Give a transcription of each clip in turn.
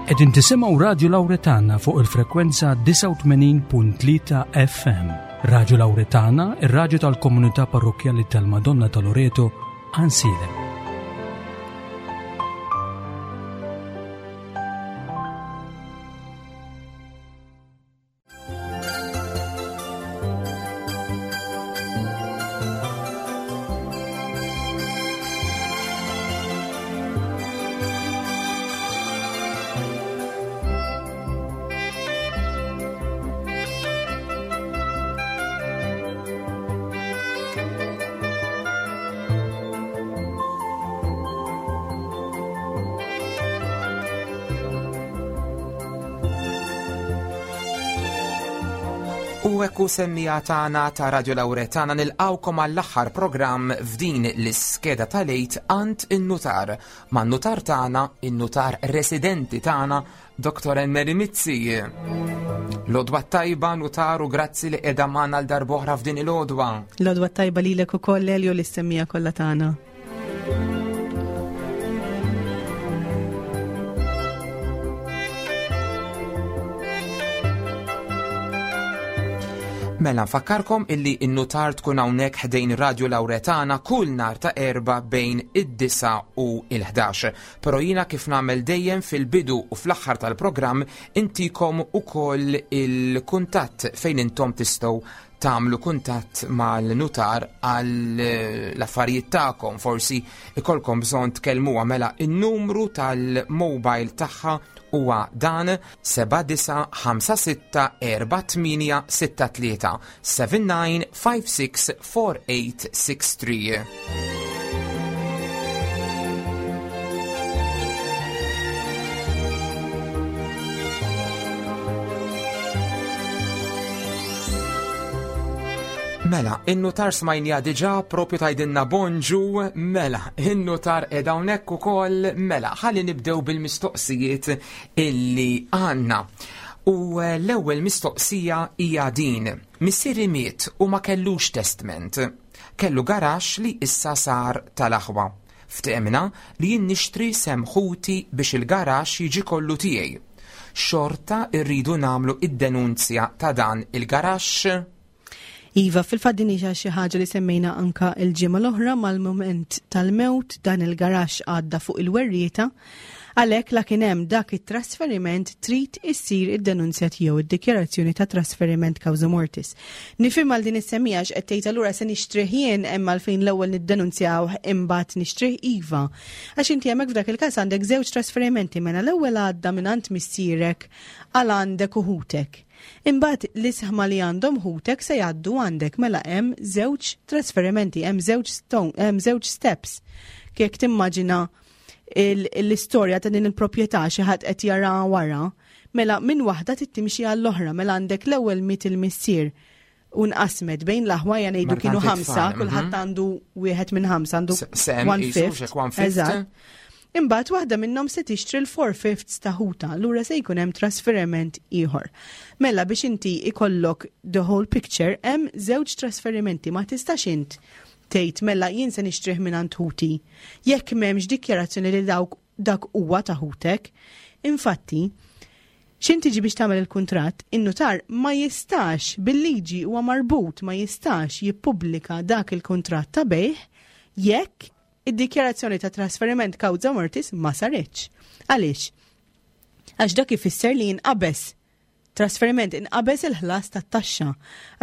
Qegħdin tisimgħu Radju Lawretana fuq il-frekwenza 89.3 FM. Radju Lawretana, ir-radju tal-komunità parrokkjali tal-Madonna ta' Loreto, Ansilem. U ekku semmija tagħna ta' Radio Lauretana nilqawkom għall-aħħar programm f'din l-iskeda tal-għid għand in-nutar. Man-nutar tagħna, in-nutar residenti tagħna, Dr. Enmeri Mizzi. L-odwa tajba nutar u grazzi li qiegħda magħna l-darbohra f'din il-odwa. L-odwa tajba lilek ukoll Elio li semmija kollha tagħna. Mela nfakkarkom illi n-nutar tkun hawnhekk ħdejn Radio Lauretana kull nar ta' erba bejn id-disa u il-11. Però jiena kif nagħmel dejjem fil-bidu u fl-aħħar tal-programm intikom ukoll il-kuntatt fejn intom tistgħu tagħmlu kuntatt mal-nutar għal eh, l-affarijiet tagħkom, forsi ikolkom bżonn tkellmuha mela in-numru tal-mobile tagħha huwa dan 79564863 79564863. Mela, in-nutar smajnija diġa propju tajdinna bonġu, mela, in-nutar edha hawnhekk ukoll, mela, ħalli nibdew bil-mistoqsijiet illi għandna. U eh, l-ewwel mistoqsija hija din. Missieri miet u ma kellux testment. Kellu garaxx li issa sar tal-aħwa. Ftehemna li jien nixtri sehem ħuti biex il-garaxx jiġi kollu tiegħi. Xorta rridu nagħmlu id-denunzja ta' dan il-garaxx? Iva, fil-fatt din hija xi ħaġa li semmejna anka l-ġimgħa l-oħra mal-mument tal-mewt dan il-garaxx għadda fuq il-werrieta. Għalhekk la kien hemm dak it-trasferiment trid issir id-denunzja tiegħu id-dikjarazzjoni ta' trasferiment causa mortis. Nifhem għal din is-semmija x'qed tgħid allura se nixtrih jien hemm għalfejn l-ewwel niddenunzjawh imbagħad nixtrih iva. Għax inti hemmhekk f'dak il-każ għandek żewġ trasferimenti mela l-ewwel għadda mingħand missierek għal għandek u ħutek. Imbagħad l-isħma li għandhom ħutek se jgħaddu għandek mela hemm żewġ trasferimenti, hemm żewġ hemm żewġ steps. Kek timmaġina l-istorja ta' din il-proprjetà xi ħadd qed jara wara, mela minn waħda trid timxi għall-oħra, mela għandek l-ewwel miet il-missier u nqasmet bejn l-aħwa ja ngħidu kienu ħamsa, mhm. kulħadd għandu wieħed minn ħamsa għandu one fifth. Eżatt. Imbagħad waħda minnhom se tixtri l-four fifths ta' ħuta, allura se jkun hemm trasferiment ieħor. Mela biex inti ikollok the whole picture hemm żewġ trasferimenti ma tistax int tgħid mela jien se nixtrih mingħand ħuti jekk m'hemmx dikjarazzjoni li dawk dak huwa ta' ħutek. Infatti, x'in tiġi biex tagħmel il-kuntratt, in-nutar ma jistax bil-liġi huwa marbut ma jistax jippubblika dak il-kuntratt ta' bejħ jekk id-dikjarazzjoni ta' trasferiment causa mortis ma saritx. Għaliex? Għax dak ifisser li jinqabeż trasferiment inqabeż il-ħlas tat-taxxa.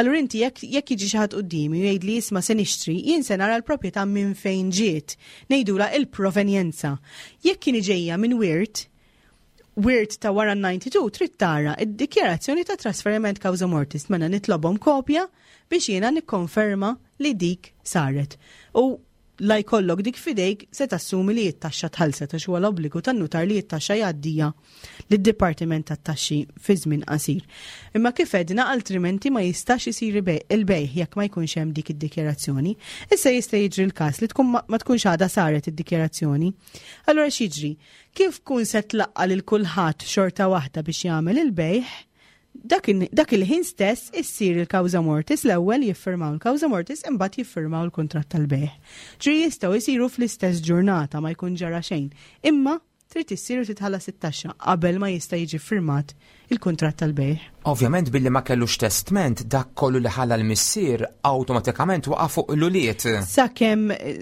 Allura inti jekk jekk jiġi xi ħadd quddiemi u jgħidli isma' se nixtri, jien se nara l-proprjetà minn fejn ġiet. Ngħidulha il-provenjenza. Jekk kien ġejja minn wirt, wirt ta' wara 92 trid tara id-dikjarazzjoni ta' trasferiment causa mortis mela nitlobhom kopja biex jiena nikkonferma li dik saret. U la jkollok dik f'idejk se tassumi li t-taxxa tħallset għax huwa l-obbligu tan-nutar li t-taxxa jgħaddija lid-Dipartiment tat-Taxxi fi żmien qasir. Imma kif għedna altrimenti ma jistax isir il-bejgħ jekk ma jkunx hemm dik id-dikjarazzjoni. Issa jista' jiġri l-każ li tkun ma tkunx għadha saret id-dikjarazzjoni. Allura x'jiġri? Kif tkun se tlaqqa' lil kulħadd xorta waħda biex jagħmel il-bejgħ, Dak il-ħin stess issir il-causa mortis l-ewwel jiffirmaw il-causa mortis imbagħad jiffirmaw il-kuntratt tal-bejgħ. Ġifieri jistgħu jsiru fl-istess ġurnata ma jkun ġara xejn. Imma trid issir u titħallas it-taxxa qabel ma jista' jiġi ffirmat il-kuntratt tal-bejgħ. Ovvjament billi ma kellux testment dak kollu li ħalla l-missier awtomatikament waqa' fuq l-ulied. Sakemm eh,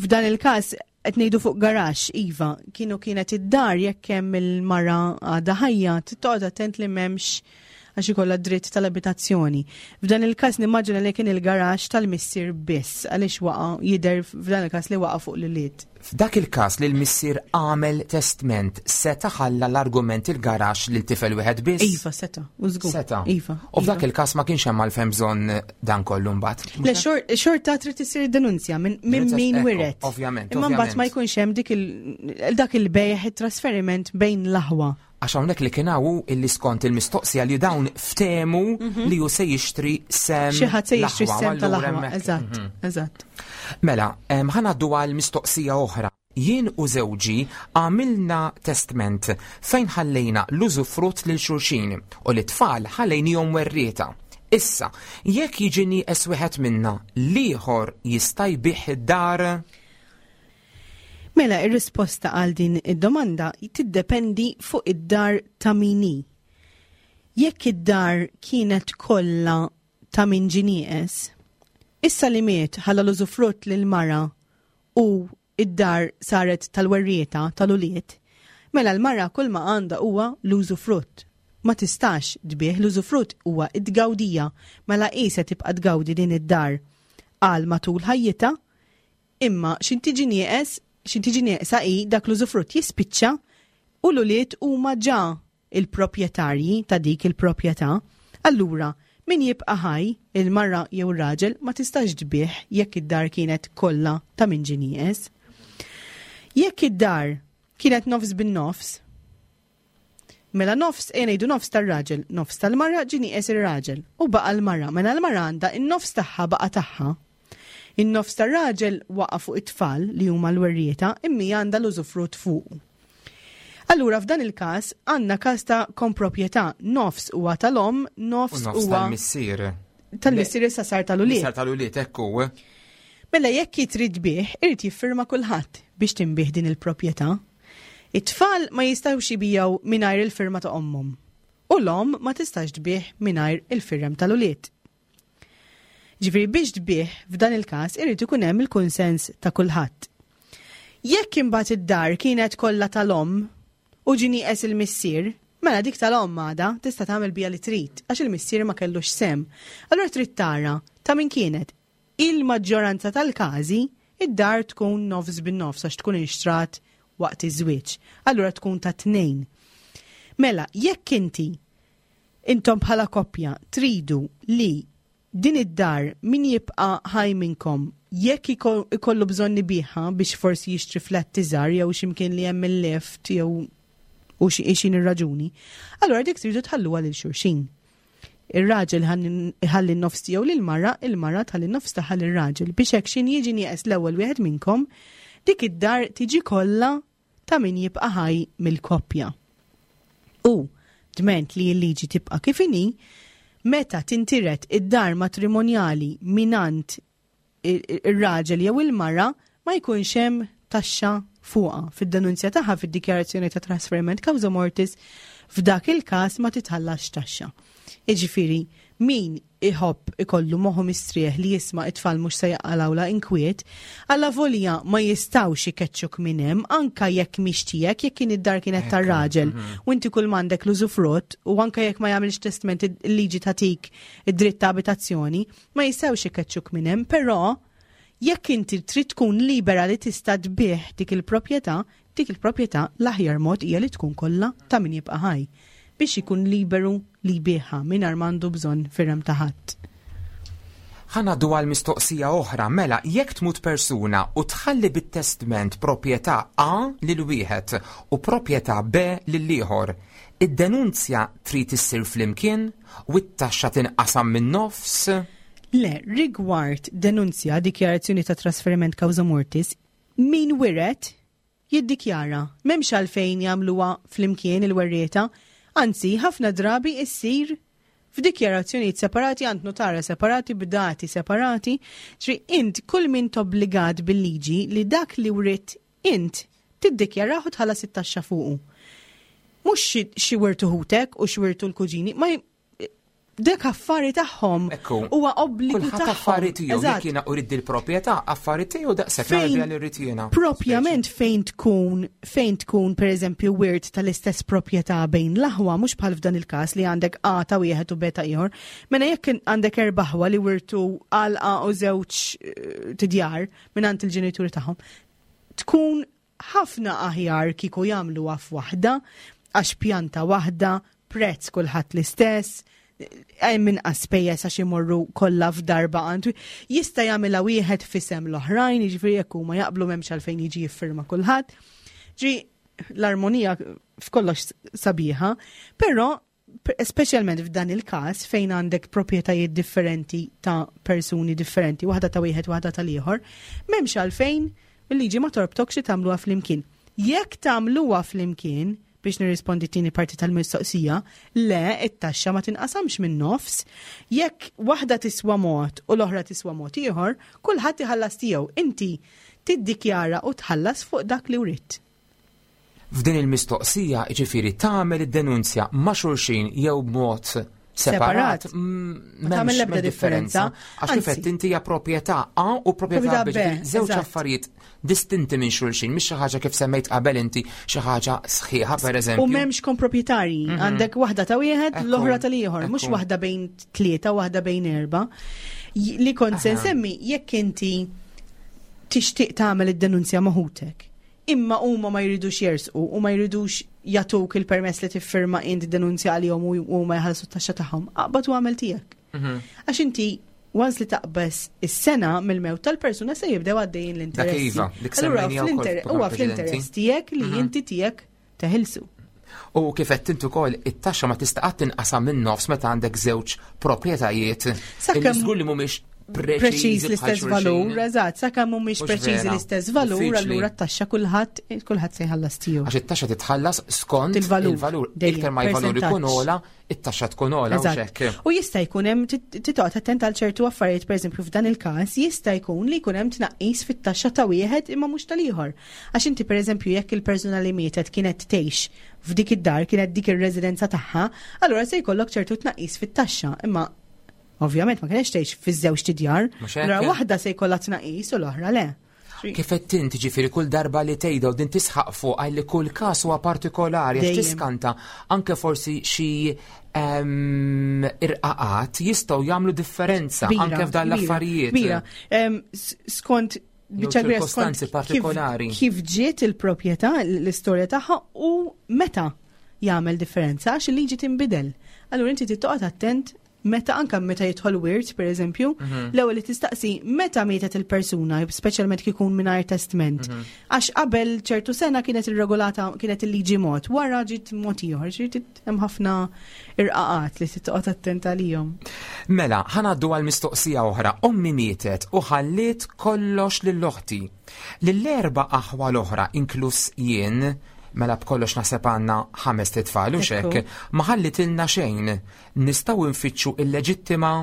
f'dan il-każ qed ngħidu fuq garaxx, iva, kienu kienet id-dar jekk hemm il-mara għadha ħajja, toqgħod attent li m'hemmx għax ikollha dritt tal-abitazzjoni. F'dan il-każ nimmaġina li kien il-garaxx tal-missier biss għaliex waqa' jidher f'dan il-każ li waqa' fuq l-ulied. F'dak il-każ li l-missier għamel testment seta' ħalla l-argument il-garaxx lil tifel wieħed biss? Iva, seta', u żgur. Seta'. Iva. U f'dak il-każ ma kienx hemm għalfejn bżonn dan kollu mbagħad. Le xorta trid isir denunzja minn min wiret. Ovvjament. Imma mbagħad ma jkunx hemm dik dak il-bejgħ it-trasferiment bejn l-aħwa. Għax hawnhekk li kien hawn illi skont il-mistoqsija li dawn ftehmu mhm. li hu se jixtri sem. Xi ħadd se jixtri sem tal-aħwa. Eżatt, mhm. eżatt. Mela, ħa ngħaddu għal mistoqsija oħra. Jien u żewġi għamilna testment fejn ħallejna l-użufrutt lil xulxin u li tfal ħallejnihom werrieta. Issa, jekk jiġi nieqes wieħed minna, l-ieħor jista' jbigħ id-dar? Mela, ir-risposta għal din id-domanda tiddependi fuq id-dar ta' min hi. Jekk id-dar kienet kollha ta' min ġie nieqes, issa li miet ħalla l-użufrutt lill-mara u id-dar saret tal-werrieta, tal-ulied, mela l-mara kull ma għandha huwa l-użufrutt. Ma tistax tbigħ, l-użufrutt huwa t-tgawdija, mela hi se tibqa' tgawdi din id-dar għal matul ħajjitha. Imma x'in tiġi nieqes, x'in tiġi nieqsa hi dak l-użufrutt jispiċċa u l-ulied huma ġa il-proprjetarji ta' dik il-proprjetà. Allura, min jibqa' ħaj, il-mara jew ir-raġel, ma tistax tbigħ jekk id-dar kienet kollha ta' min ġie nieqes. Jekk id-dar kienet nofs bin-nofs, Mela nofs, ejja ngħidu nofs tar-raġel, nofs tal-mara ġie nieqes ir-raġel u baqa' l-mara. Mela l-mara għandha in-nofs tagħha baqa' tagħha. In-nofs tar-raġel waqa' fuq it-tfal li huma l-werrieta imma hija għandha l-użufrutt fuqu. Allura f'dan il-każ għandna każ ta' komproprjetà, nofs huwa tal-omm, nofs huwa tal-missier. Tal-missier issa sar tal-ulied. Sar tal-ulied, hekk hu. Mela jekk trid tbigħ, irid jiffirma kulħadd biex tinbigħ din il-proprjetà. It-tfal ma jistgħux ibigħu mingħajr il-firma ta' ommhom u l-omm ma tistax tbigħ mingħajr il-firem tal-ulied. Ġifieri biex tbigħ f'dan il-każ irid ikun hemm il-kunsens ta' kulħadd. Jekk imbagħad id-dar kienet kollha tal-omm u ġie nieqes il-missier, mela dik tal-omm għadha tista' tagħmel biha li trid għax il-missier ma kellux sehem. Allura trid tara ta' min kienet. Il-maġġoranza tal-każi, id-dar tkun nofs bin-nofs għax tkun inxtrat waqt iż-żwieġ. Allura tkun ta' tnejn. Mela, jekk inti intom bħala koppja tridu li din id-dar min jibqa' ħaj minnkom jekk ikollu bżonn ibigħha biex forsi jixtri flat iżgħar jew x'imkien li hemm il-lift jew u xi ir-raġuni, allura dik tridu tħalluha lil xulxin. Ir-raġel iħalli n-nofs tiegħu lill-mara, il-mara tħalli n-nofs tagħha lir-raġel biex hekk x'in jiġi nieqes l-ewwel wieħed minnkom, dik id-dar tiġi kollha ta' min jibqa' ħaj mill-koppja. U, dment li l-liġi tibqa' kif inhi, meta tintiret id-dar matrimonjali mingħand ir-raġel jew il-mara ma jkunx hemm taxxa fuqha. Fid-denunzja tagħha fid-dikjarazzjoni ta' trasferiment causa mortis f'dak il-każ ma titħallasx taxxa. Jiġifieri, min iħobb ikollu moħħu mistrieħ li jisma' it-tfal mhux se jaqalgħulha inkwiet, allavolja ma jistgħux ikeċċuk minn hemm anka jekk mhix tiegħek, jekk kien id-dar kienet tar-raġel mhm. u inti kull m'għandek l-użufrutt u anka jekk ma jagħmilx testment il-liġi tagħtik id-dritt ta' abitazzjoni, Ma jistgħux ikeċċuk minn hemm, però jekk inti trid tkun libera li tista' tbigħ dik il-proprjetà, dik il-proprjetà l-aħjar mod hija li tkun kollha ta' min jibqa' ħaj biex ikun liberu li jbigħha mingħajr m'għandu bżonn firem ta' ħadd. Ħa ngħaddu għal mistoqsija oħra, mela jekk tmut persuna u tħalli bit-testment proprjetà A lil wieħed u proprjetà B lill-ieħor, id-denunzja trid issir flimkien u t-taxxa tinqasam min-nofs? Le, rigward denunzja, dikjarazzjoni ta' trasferiment causa mortis, min wiret jiddikjara. M'hemmx għalfejn jagħmluha flimkien il-werrieta, anzi ħafna drabi issir f'dikjarazzjonijiet separati għand nutara separati b'dati separati, ġri int kull min tobbligat bil-liġi li dak li writ int. Tiddikjarah u tħallas it-taxxa fuqu. Mhux xi wirtu ħutek u x'wirtu l-kuġini, ma dak affari tagħhom. Huwa obbligu tagħhom. Affari tiegħu jekk jiena urid il-proprjetà, affari tiegħu daqshekk nagħmel li rrid jiena. Propjament fejn tkun fejn tkun pereżempju wirt tal-istess proprjetà bejn l-aħwa mhux bħal f'dan il-każ li għandek A ta' wieħed u B ta' ieħor. Mela jekk għandek erba' aħwa li wirtu għalqa u żewġ eh, tidjar mingħand il-ġenituri tagħhom, tkun ħafna aħjar kieku jagħmluha f'waħda għax pjanta waħda, prezz kulħadd l-istess, hemm inqas spejjeż għax imorru kollha f'darba għandu. Jista' jagħmilha wieħed f'isem l-oħrajn, jiġifieri jekk huma jaqblu m'hemmx għalfejn jiġi jiffirma kulħadd. Ġi l-armonija f'kollox sabiħa, però speċjalment f'dan il-każ fejn għandek proprjetajiet differenti ta' persuni differenti, waħda ta' wieħed, waħda tal-ieħor, m'hemmx għalfejn il-liġi ma torbtokx li tagħmluha flimkien. Jekk tagħmluha flimkien, biex nirrispondi t-tieni parti tal-mistoqsija, le, it-taxxa ma tinqasamx minn nofs. Jekk waħda tiswa mod u l-oħra tiswa mod ieħor, kulħadd iħallas tiegħu. Inti tiddikjara u tħallas fuq dak li writt. F'din il-mistoqsija, jiġifieri tagħmel id-denunzja ma' xulxin jew b'mod separat, ma tagħmel l-ebda differenza. Għax kif qed inti hija proprjetà A u proprjetà B, żewġ affarijiet distinti minn xulxin, mhix xi ħaġa kif semmejt qabel inti xi ħaġa sħiħa pereżempju. U m'hemmx komproprjetarji, għandek waħda ta' wieħed, l-oħra tal-ieħor, mhux waħda bejn tlieta, waħda bejn erba'. Li kont se nsemmi jekk inti tixtieq tagħmel id-denunzja ma' ħutek imma huma ma jridux jersqu u ma jridux jagħtuk il-permess li tiffirma int denunzja għalihom u huma jħallsu t-taxxa tagħhom, aqbad u għamel tiegħek. Għax inti once li taqbeż is-sena mill-mewt tal-persuna se jibdew għaddejjin l-interessi. Iva, dik Allura huwa fl-interess tiegħek li inti tiegħek teħilsu. U kif qed int ukoll it-taxxa ma tista' qatt tinqasam minn nofs meta għandek żewġ proprjetajiet. Sakemm żgur li mhumiex preċiż l-istess valur, eżatt, sakemm mhumiex preċiżi l-istess valur, allura t-taxxa kulħadd kulħadd se jħallas tiegħu. Għax it-taxxa titħallas skont il-valur. Iktar ma l-valur ikun ogħla, it-taxxa tkun ogħla u hekk. U jista' jkun hemm titoqgħod attent għal ċertu affarijiet, pereżempju f'dan il-każ jista' jkun li jkun hemm tnaqqis fit-taxxa ta' wieħed imma mhux tal-ieħor. Għax inti pereżempju jekk il-persuna li mietet kienet tgħix f'dik id-dar, kienet dik ir-residenza tagħha, allura se jkollok ċertu tnaqqis fit-taxxa, imma ovvjament ma kienx tgħix fiż-żewġ tidjar, allura waħda se jkollha tnaqqis u l-oħra le. Kif qed int ġifieri kull darba li tgħidha u din tisħaq fuq li kull każ huwa partikolari għax tiskanta anke forsi xi ehm, irqaqat jistgħu jagħmlu differenza anke f'dan l-affarijiet. Kbira. Ehm, skont biċċa ċirkostanzi partikolari. Kif ġiet il-proprjetà, l-istorja tagħha u meta jagħmel differenza għax il-liġi tinbidel. Allura inti tittoqgħod attent meta anka meta jidħol wirt, per eżempju, mhm. l-ewwel li tistaqsi meta mietet il-persuna, speċjalment kif ikun mingħajr testment. Mhm. Għax qabel ċertu sena kienet irregolata kienet il-liġi mod, wara ġiet mod ieħor, ġiet hemm ħafna irqaqat li titqgħod attent għalihom. Mela, ħanaddu għal mistoqsija oħra. Ommi mietet u ħalliet kollox lil oħti. Lill-erba' aħwa l-oħra inkluż jien, mela b'kollox naħseb għandna ħamest itfal u xek, ma ħallitilna xejn. Nistgħu nfittxu il-leġittima?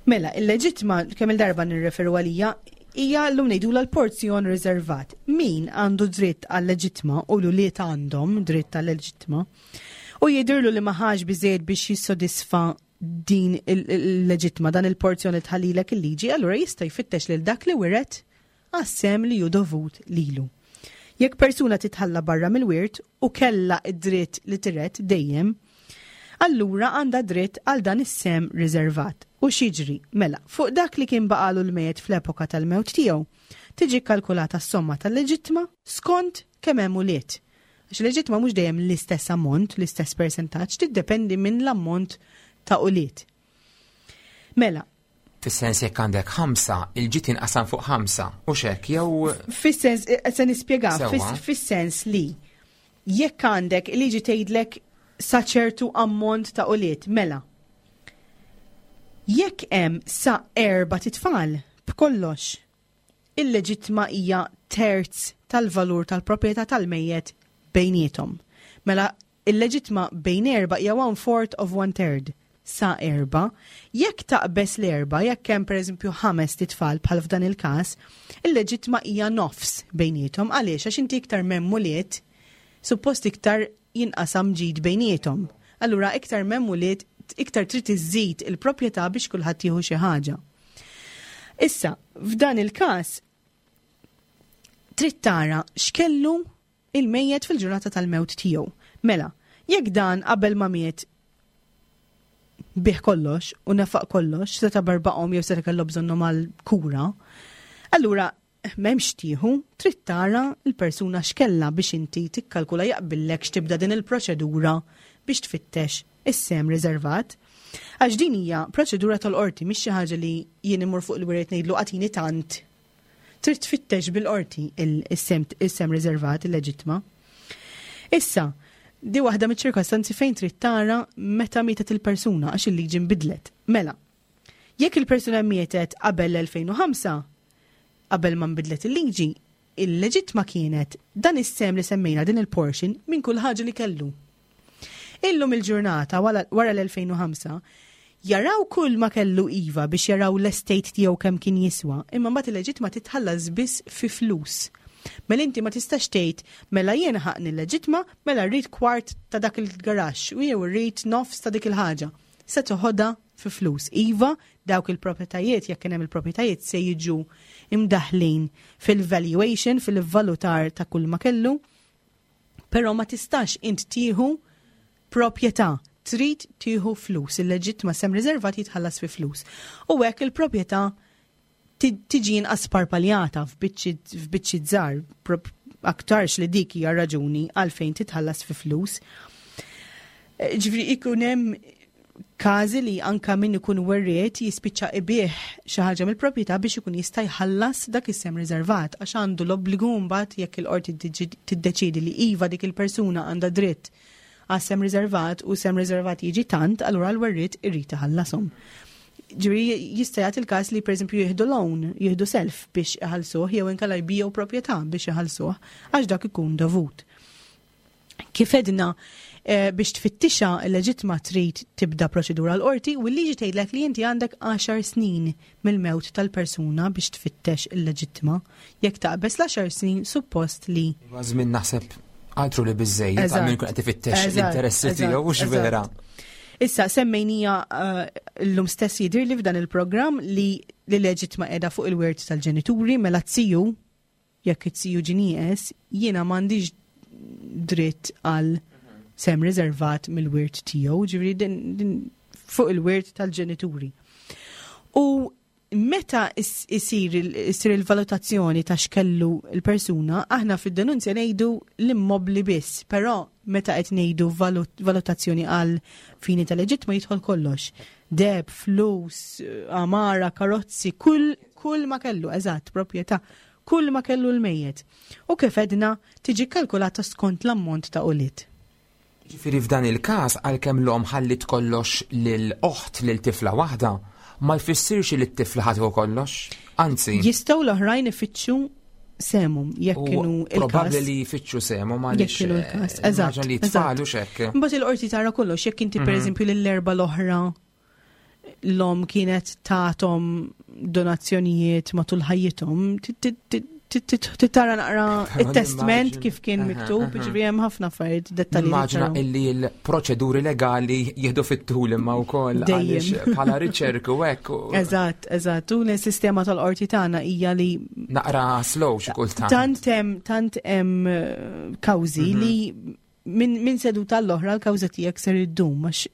Mela, il-leġittima kemm il-darba nirreferu għalija hija llum ngħidulha l-porzjon riservat. Min għandu dritt għal-leġittima u l-ulied għandhom dritt għal-leġittima u jidhirlu li ma ħax biżejjed biex jissodisfa din il-leġittima, dan il-porzjon li tħallilek il-liġi, allura jista' jfittex lil dak li wiret għas-sehem li hu dovut lilu. Jekk persuna titħalla barra mill-wirt u kellha d-dritt li tiret dejjem, allura għandha dritt għal dan is-sehem riservat. U x'jiġri? Mela, fuq dak li kien baqagħlu l-mejjet fl-epoka tal-mewt tiegħu, tiġi kkalkulata s-somma tal-leġittma skont kemm hemm ulied. Għax il-leġittma mhux dejjem l-istess ammont, l-istess persentaġġ, tiddependi minn l-ammont ta' ulied. Mela, Fis-sens jekk għandek ħamsa, il-ġid jinqasam fuq ħamsa, u xek, jew. Fis-sens, eh, se nispjega, fis-sens li jekk għandek liġi tgħidlek sa ċertu ammont ta' ulied, mela. Jekk hemm sa erba' titfal b'kollox, il-leġittma hija terz tal-valur tal-proprjetà tal-mejjet bejniethom. Mela il-leġittma bejn erba' hija one fourth of one third. sa erbgħa. Jekk taqbeż l-erbgħa, jekk hemm pereżempju ħamest itfal bħal f'dan il-każ, il-leġittma hija nofs bejniethom. Għaliex? Għax inti iktar m'hemm ulied, suppost iktar jinqasam ġid bejniethom. Allura iktar m'hemm ulied, iktar trid iżżid il-proprjetà biex kulħadd jieħu xi ħaġa. Issa, f'dan il-każ, trid tara x'kellu il-mejjet fil-ġurnata tal-mewt tiegħu. Mela, jekk dan qabel ma miet bih kollox u nefaq kollox, seta' barbaqhom jew seta' kellu bżonnhom għal kura, allura m'hemmx tieħu, trid tara l-persuna x'kellha biex inti tikkalkula jaqbillek x'tibda din il-proċedura biex tfittex is-sehem riservat. Għax din hija proċedura tal-qorti mhix xi ħaġa li jien immur fuq il-wiret ngħidlu agħtini tant. Trid tfittex bil-qorti is-sehem riservat, il-leġittma. Issa, di waħda miċ-ċirkostanzi fejn trid tara meta mietet il-persuna għax il-liġi nbidlet. Mela, jekk il-persuna mietet qabel l-2005, qabel ma nbidlet il-liġi, il-leġittma kienet dan is-sehem li semmejna din il-portion minn kull ħaġa li kellu. Illum il-ġurnata wara l-2005 jaraw kull ma kellu iva biex jaraw l-estate tiegħu kemm kien jiswa, imma mbagħad il-leġittma titħallas biss fi flus. Mela inti ma tistax tgħid mela jien ħaqni l-leġittma, mela rrid kwart ta' dak il-garaxx u jew rrid nofs ta' dik il-ħaġa. Se toħodha fi flus. Iva, dawk il-proprjetajiet, jekk kien hemm il-proprjetajiet se jiġu imdaħlin fil-valuation, fil-valutar ta' kull ma kellu, però ma tistax int tieħu proprjetà, trid tieħu flus, il-leġittma sem riservat jitħallas fi flus. U hekk il-proprjetà tiġi inqas parpaljata f'biċċi żgħar, aktarx li dik hija raġuni għalfejn titħallas fi flus. Eh, ġifieri ikun hemm każi li anka min ikun werriet jispiċċa ibih xi ħaġa mill-proprjetà biex ikun jista' jħallas dak is-sem riservat għax għandu l-obbligu mbagħad jekk il-qorti tiddeċiedi li iva dik il-persuna għandha dritt għas sem riservat u sem riservat jiġi tant, allura l-werriet irid iħallashom. Ġifieri jista' jagħti il-każ li pereżempju jieħdu loan, jieħdu self biex iħallsuh jew inkella jbiegħu proprjetà biex iħallsuh għax dak ikun dovut. Kif edna eh, biex tfittixa l-leġitma trid tibda proċedura l-qorti u l-liġi tgħidlek li inti għandek 10 snin mill-mewt tal-persuna biex tfittex il-leġittima. Jekk taqbeż l-10 snin suppost li. Żmien naħseb altru li biżejjed għal min qed ifittex l-interessi tiegħu mhux vera. Issa semmejnija eh, llum stess jidhir li f'dan il-programm li l-leġitma qiegħda fuq il-wirt tal-ġenituri mela t-siju jekk it-siju ġinieqes jiena m'għandix dritt għal sem riservat mill-wirt tiegħu, ġifieri din fuq il-wirt tal-ġenituri. U meta isir issir il-valutazzjoni ta' x'kellu l-persuna, aħna fid-denunzja ngħidu l-immobli biss, però meta qed ngħidu valutazzjoni għal fini tal-leġittma jidħol kollox. Deb, flus, amara, karozzi, kull kull ma kellu, eżatt, proprjetà, kull ma kellu l-mejjet. U kif edna tiġi kalkulata skont l-ammont ta' ulied. Jiġifieri f'dan il-każ għalkemm l-omm ħalliet kollox lil oħt lil tifla waħda, ma jfissirx li t-tifla ħa tieħu kollox. Anzi. Jistgħu l-oħrajn ifittxu sehemhom jekk kienu il-każ. Probabbli li jfittxu sehemhom għaliex. Jekk kienu l-każ. Eh, eżatt. Li tfal u xekk. Imbagħad il-qorti tara kollox jekk inti mhm. pereżempju lill-erba' l-oħra l-om kienet tatom donazzjonijiet matul ħajjithom, tara naqra il-testment kif kien miktub, ġifieri hemm ħafna affarijiet dettalji. Immaġina illi l-proċeduri legali jieħdu fit-tul imma wkoll għaliex bħala riċerk u hekk. Eżatt, eżatt. U l-sistema tal-qorti tagħna hija li naqra slow xi kultant. Tant hemm tant hemm eh, kawżi mhm. li Min, min seduta l-oħra l-kawża tiegħek ser iddum għax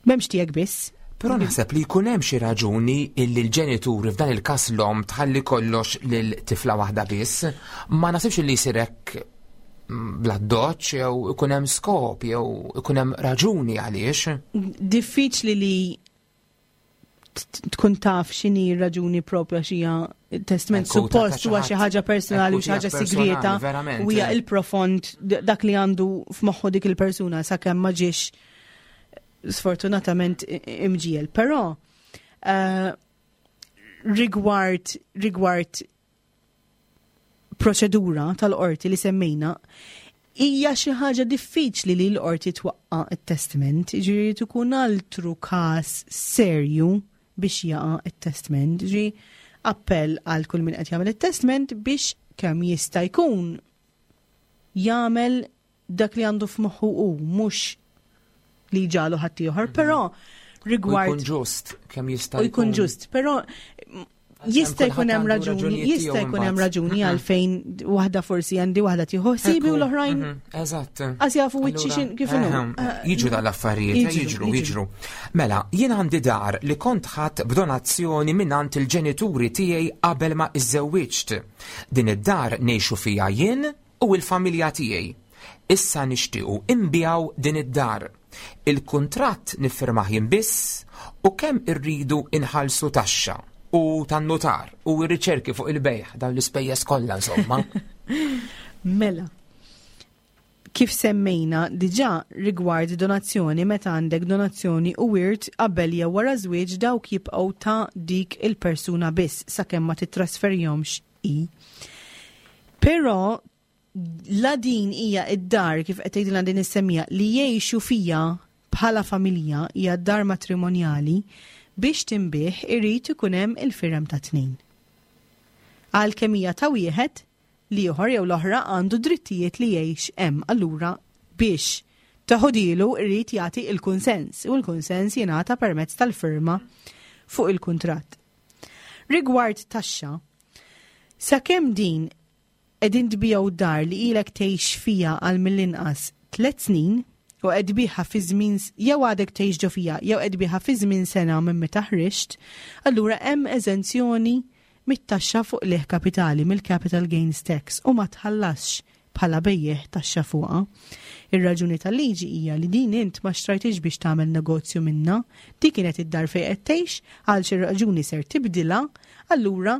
m'hemmx tiegħek biss. Però naħseb li jkun hemm xi raġuni illi l-ġenituri f'dan il-każ l-omm tħalli kollox lil tifla waħda biss, ma naħsibx li jsir hekk bla doċ jew ikun hemm skop jew ikun hemm raġuni għaliex. Diffiċli li tkun taf x'inhi r-raġuni propja xija testament suppost huwa xi ħaġa personali u xi ħaġa sigrieta u hija il-profond dak li għandu f'moħħu dik il-persuna sakemm ma ġiex sfortunatament imġiel. Però eh, rigward rigward proċedura tal-qorti li semmejna, Hija xi ħaġa diffiċli li l-qorti twaqqa' t-testment, jiġifieri jrid ikun altru każ serju biex jaqa' t-testment. Jiġifieri appell għal kull min qed jagħmel it-testment biex kemm jista' jkun jagħmel dak li għandu f'moħħu hu, mhux li jġagħlu ħaddieħor, però rigward. U jkun ġust kemm jista' jkun. Jkun ġust, però jista' jkun hemm raġuni, jista' jkun hemm raġuni għalfejn waħda forsi għandi waħda tieħu ħsibi u l-oħrajn. Eżatt. Għas jafu wiċċi kif inhu. Jiġu dal-affarijiet, eh, jiġru, jiġru. Mela, jien għandi dar li kont ħadd b'donazzjoni mingħand il-ġenituri tiegħi qabel ma iżżewwiġt. Din id-dar ngħixu fiha jien u l-familja tiegħi. Issa nixtiequ inbiegħu din id-dar. Il-kuntratt niffirmah jien biss u kemm irridu inħallsu taxxa u tan-nutar u r-riċerki fuq il-bejgħ, dawn l-ispejjeż kollha insomma. Mela, kif semmejna diġà rigward donazzjoni meta għandek donazzjoni u wirt qabel jew wara żwieġ dawk jibqgħu ta' dik il-persuna biss sakemm ma tittrasferihomx hi. Però la din hija id-dar kif qed tgħidilna din is-semmija li jgħixu fija bħala familja hija d-dar matrimonjali biex tinbih irid ikun hemm il-firem ta' tnejn. Għalkemm hija ta' wieħed, l-ieħor jew l-oħra għandu drittijiet li jgħix hemm allura biex teħodilu irid jagħti il-kunsens u l-kunsens jingħata permezz tal-firma fuq il-kuntratt. Rigward taxxa, sakemm din qegħdin tbigħu dar li ilek tgħix fiha għal mill-inqas tlett snin u qed tbigħha fi żmien jew għadek tgħix ġo fiha jew qed tbigħha fi żmien sena minn meta ħriġt, allura hemm eżenzjoni mit-taxxa fuq qligħ kapitali, mill-capital gains tax, u ma tħallasx bħala bejjiegħ taxxa fuqha. Ir-raġuni tal-liġi hija li din int ma xtrajthiex biex tagħmel negozju minnha, dik kienet id-dar fejn qed tgħix, għal xi raġuni ser tibdilha, allura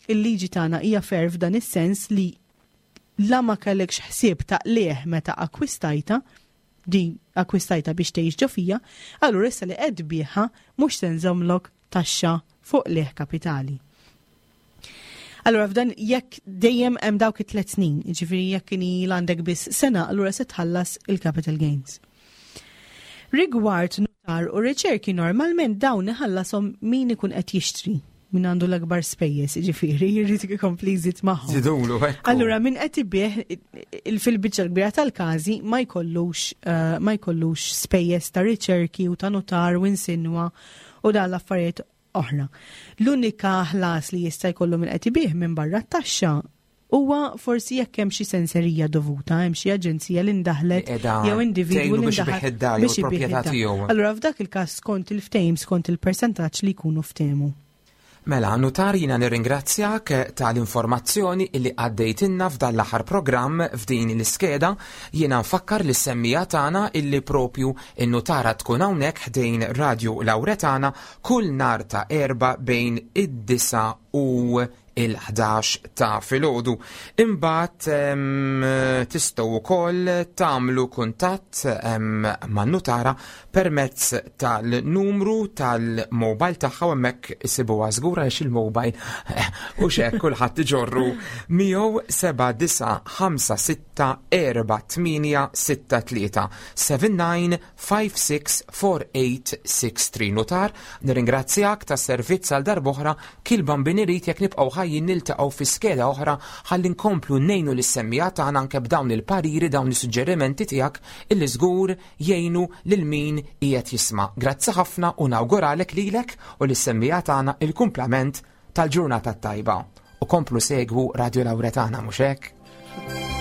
il-liġi tagħna hija fair f'dan is-sens li la ma kellekx ħsieb ta' qligħ meta akkwistajtha, din akkwistajtha biex tgħix ġo fija, allura issa li qed tbigħha mhux se nżommlok taxxa fuq qligħ kapitali. Allura f'dan jekk dejjem hemm dawk it-tliet snin, jiġifieri jekk inhi għandek biss sena, allura se tħallas il-capital gains. Rigward notar u riċerki normalment dawn iħallasom min ikun qed jixtri min għandu l-akbar spejjeż, jiġifieri jrid ikompli jżid magħhom. Żidulu, ekku. Allura min qed ibih fil-biċċa l-kbira tal-każi ma jkollux eh, ma jkollux spejjeż ta' riċerki u ta' notar u insinwa u dan l-affarijiet oħra. L-unika ħlas li jista' jkollu min qed ibih minn barra t-taxxa huwa forsi jekk hemm xi senserija dovuta, hemm xi aġenzija li ndaħlet jew individwu li ndaħlet biex ibih id-dar. Allura f'dak il-każ skont il-ftehim skont il-persentaġġ li jkunu ftehmu. Mela, Nutar jiena nirringrazzjak tal-informazzjoni illi għaddejtilna f'dan l-aħħar programm f'din l-iskeda. Jiena nfakkar lis-semmiegħa tagħna illi propju n-nutara tkun hawnhekk ħdejn Radju Lawretana kull nhar ta' Erbgħa bejn id-disgħa u il-11 ta' filgħodu. Imbagħad tistgħu wkoll tagħmlu kuntatt man-nutara permezz tal-numru tal-mobile tagħha u hemmhekk isibuha żgur għaliex il-mobile u xek kulħadd iġorru miegħu 79564863 79564863 Nutar, nirringrazzjak tas-servizz għal darb'oħra Kil Bambin irid jekk nibqgħu ħajjin niltaqgħu fi skeda oħra ħalli nkomplu ngħinu lis-semmiegħa tagħna anke b'dawn il-pariri, dawn is-suġġerimenti tiegħek illi żgur jgħinu lil min qiegħed jisma'. Grazzi ħafna u nawguralek lilek u lis-semmiegħa tagħna il-kumplament tal-ġurnata t-tajba. U komplu segwu Radio Lauretana mhux hekk?